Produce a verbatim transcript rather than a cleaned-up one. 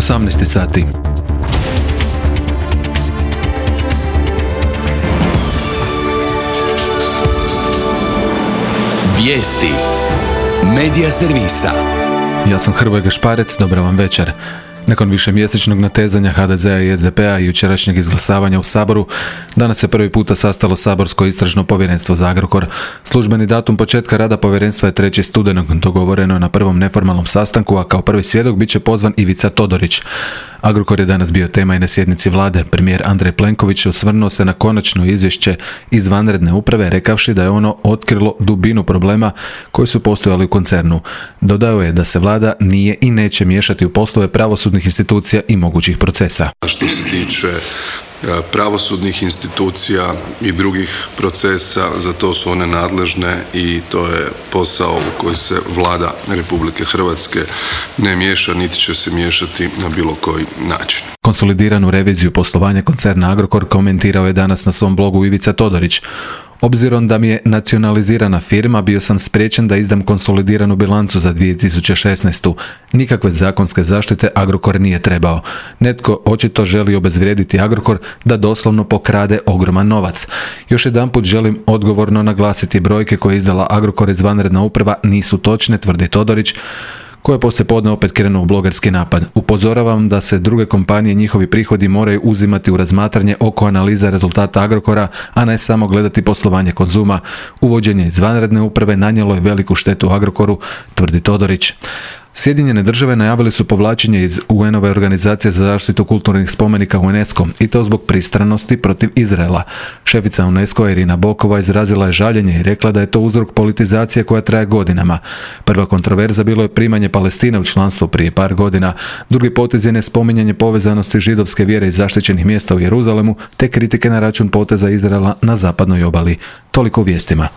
osamnaest sati. Vijesti Medija servisa. Ja sam Hrvoje Gašparec, dobro vam večer. Nakon višemjesečnog natezanja ha de zea i es de pe a i jučerašnjeg izglasavanja u Saboru, danas se prvi puta sastalo saborsko istražno povjerenstvo za Agrokor. Službeni datum početka rada povjerenstva je trećeg studenog, dogovoreno je na prvom neformalnom sastanku, a kao prvi svjedok bit će pozvan Ivica Todorić. Agrokor je danas bio tema i na sjednici vlade. Premijer Andrej Plenković osvrnuo se na konačno izvješće izvanredne uprave, rekavši da je ono otkrilo dubinu problema koji su postojali u koncernu. Dodao je da se vlada nije i neće miješati u poslove pravosudnih institucija i mogućih procesa. Što se tiče pravosudnih institucija i drugih procesa, za to su one nadležne i to je posao u koji se Vlada Republike Hrvatske ne miješa, niti će se miješati na bilo koji način. Konsolidiranu reviziju poslovanja koncerna Agrokor komentirao je danas na svom blogu Ivica Todorić. Obzirom da mi je nacionalizirana firma, bio sam spriječen da izdam konsolidiranu bilancu za dvije tisuće šesnaestu. Nikakve zakonske zaštite Agrokor nije trebao. Netko očito želi obezvrijediti Agrokor da doslovno pokrade ogroman novac. Još jedanput želim odgovorno naglasiti, brojke koje je izdala Agrokor izvanredna uprava nisu točne, tvrdi Todorić, koje poslije podne opet krenu u blogerski napad. Upozoravam da se druge kompanije, njihovi prihodi moraju uzimati u razmatranje oko analiza rezultata Agrokora, a ne samo gledati poslovanje Konzuma. Uvođenje izvanredne uprave nanijelo je veliku štetu Agrokoru, tvrdi Todorić. Sjedinjene države najavili su povlačenje iz u en ove organizacije za zaštitu kulturnih spomenika UNESCO i to zbog pristranosti protiv Izraela. Šefica UNESCO Irina Bokova izrazila je žaljenje i rekla da je to uzrok politizacije koja traje godinama. Prva kontroverza bilo je primanje Palestine u članstvo prije par godina. Drugi potez je nespominjanje povezanosti židovske vjere i zaštićenih mjesta u Jeruzalemu, te kritike na račun poteza Izraela na zapadnoj obali. Toliko u vijestima.